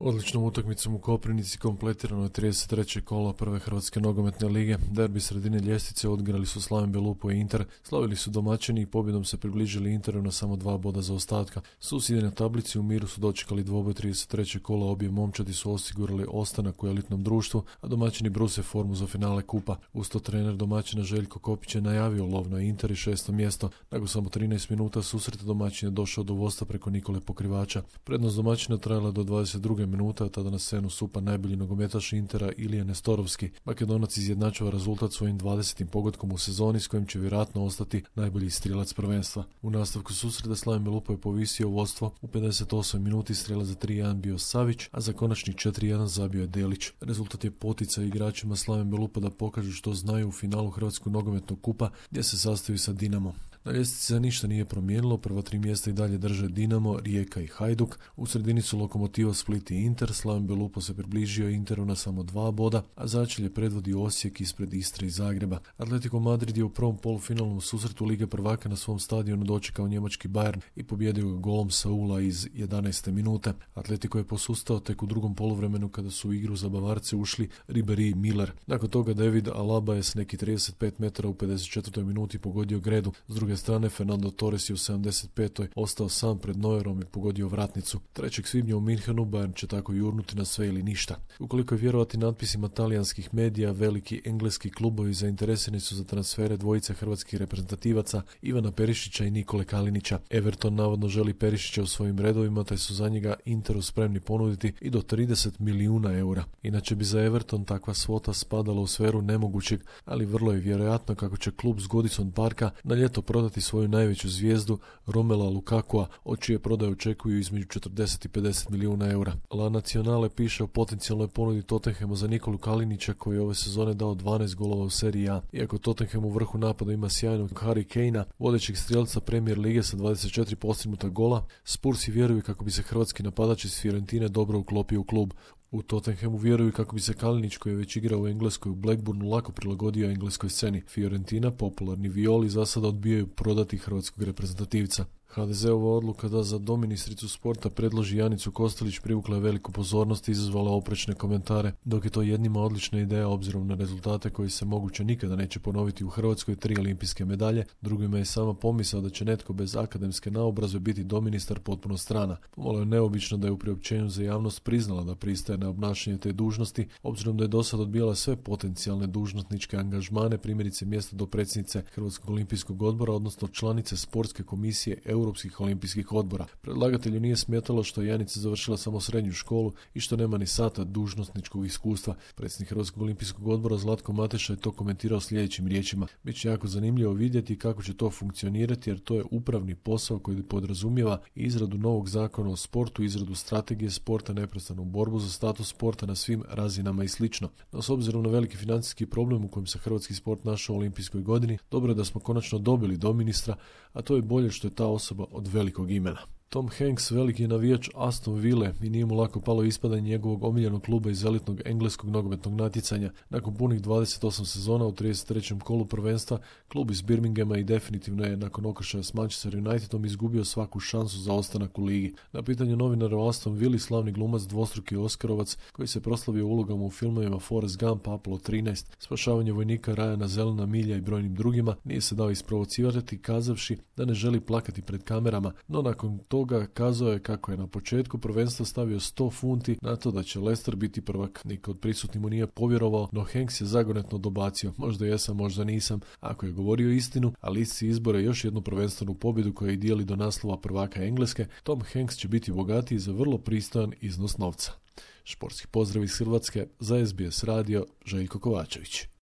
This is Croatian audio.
Odličnom utakmicom u Koprivnici kompletirano je 33. kolo prve Hrvatske nogometne lige. Derbi sredine ljestvice odigrali su Slaven Belupo i Inter, slavili su domaćini i pobjedom se približili Interu na samo 2 boda zaostatka. Susjedi na tablici u miru su dočekali dvoboj 33. kola, obje momčadi su osigurali ostanak u elitnom društvu, a domaćini bruse formu za finale kupa. Uz to trener domaćina Željko Kopić je najavio lov na Inter i 6. mjesto. Nakon samo 13 minuta susreta domaćin je došao do vodstva preko Nikole Pokrivača. Prednost domaćina trajala do 22. minuta, tada na scenu stupa najbolji nogometaš Intera Ilija Nestorovski. Makedonac izjednačava rezultat svojim 20. pogodkom u sezoni s kojim će vjerojatno ostati najbolji strijelac prvenstva. U nastavku susreta Slaven Belupo je povisio vodstvo. U 58 minuti strijelac za 3-1 bio Savić, a za konačni 4-1 zabio je Delić. Rezultat je poticaj igračima Slaven Belupa da pokažu što znaju u finalu Hrvatskog nogometnog kupa gdje se sastoji sa Dinamom. Na ljestvici se ništa nije promijenilo, prva 3 mjesta i dalje drže Dinamo, Rijeka i Hajduk. U sredini su Lokomotiva, Split i Inter. Slaven Belupo se približio Interu na samo 2 boda, a začelje predvodi Osijek ispred Istre i Zagreba. Atletico Madrid je u prvom polufinalnom susretu Lige prvaka na svom stadionu dočekao njemački Bayern i pobjedio ga golom Saula iz 11. minute. Atletico je posustao tek u drugom poluvremenu kada su u igru za Bavarce ušli Ribéry i Miller. Nakon toga David Alaba je s neki 35 metara u 54. minuti pogodio gredu. S druge strane, Fernando Torres je u 75. ostao sam pred Neuerom i pogodio vratnicu. 3. svibnja u Minhenu Bayern će tako jurnuti na sve ili ništa. Ukoliko je vjerovati natpisima talijanskih medija, veliki engleski klubovi zainteresirani su za transfere dvojice hrvatskih reprezentativaca Ivana Perišića i Nikole Kalinića. Everton navodno želi Perišića u svojim redovima, te su za njega Interu spremni ponuditi i do 30 milijuna eura. Inače bi za Everton takva svota spadala u sferu nemogućeg, ali vrlo je vjerojatno kako će klub s Goodison Parka na ljeto prodati svoju najveću zvijezdu Romela Lukakua, od čije prodaje očekuju između 40 i 50 milijuna eura. La Nacionale piše o potencijalnoj ponudi Tottenhamu za Nikolu Kalinića, koji je ove sezone dao 12 golova u seriji A. Iako Tottenham u vrhu napada ima sjajnog Harry Kanea, vodećeg strijelca Premier lige sa 24 postignuta gola, Spursi vjeruju kako bi se hrvatski napadač iz Fiorentine dobro uklopio u klub. U Tottenhamu vjeruju kako bi se Kalinić, koji je već igrao u Engleskoj u Blackburnu, lako prilagodio engleskoj sceni. Fiorentina, popularni Violi, za sada odbijaju prodati hrvatskog reprezentativca. HDZ-ova odluka da za doministricu sporta predloži Janicu Kostelić privukla je veliku pozornost i izazvala oprečne komentare, dok je to jednima odlična ideja obzirom na rezultate koji se moguće nikada neće ponoviti u Hrvatskoj, 3 olimpijske medalje, drugima je sama pomisao da će netko bez akademske naobrazbe biti doministar potpuno strana. Pomalo je neobično da je u priopćenju za javnost priznala da pristaje na obnašanje te dužnosti, obzirom da je dosad odbijala sve potencijalne dužnosničke angažmane, primjerice mjesto dopredsjednice Hrvatskog olimpijskog odbora, odnosno članice sportske komisije Europskih olimpijskih odbora. Predlagatelju nije smetalo što je Janica završila samo srednju školu i što nema ni sata dužnosničkog iskustva. Predsjednik Hrvatskog olimpijskog odbora Zlatko Mateša je to komentirao sljedećim riječima: "Biće jako zanimljivo vidjeti kako će to funkcionirati, jer to je upravni posao koji podrazumijeva izradu novog zakona o sportu, izradu strategije sporta, neprestanu borbu za status sporta na svim razinama i slično. No, s obzirom na veliki financijski problem u kojem se hrvatski sport našao u olimpijskoj godini, dobro je da smo konačno dobili doministra, a to je bolje što je ta osoba od velikog imena." Tom Hanks, veliki navijač Aston Ville, i nije mu lako palo ispadanje njegovog omiljenog kluba iz elitnog engleskog nogometnog natjecanja. Nakon punih 28 sezona u 33. kolu prvenstva, klub iz Birminghama i definitivno je nakon okršaja s Manchester Unitedom izgubio svaku šansu za ostanak u ligi. Na pitanje novinara o Aston Ville, slavni glumac, dvostruki Oskarovac, koji se proslavio ulogama u filmovima Forrest Gump, Apollo 13, Spašavanje vojnika Ryana, Zelena milja i brojnim drugima, nije se dao isprovocirati kazavši da ne želi plakati pred kamerama, no nakon toga kazao je kako je na početku prvenstva stavio 100 funti na to da će Leicester biti prvak. Niko od prisutnih mu nije povjerovao, no Hanks je zagonetno dobacio: "Možda jesam, možda nisam." Ako je govorio istinu, a listi izbore još jednu prvenstvenu pobjedu koja ih dijeli do naslova prvaka Engleske, Tom Hanks će biti bogatiji za vrlo pristojan iznos novca. Športski pozdrav iz Hrvatske, za SBS radio, Željko Kovačević.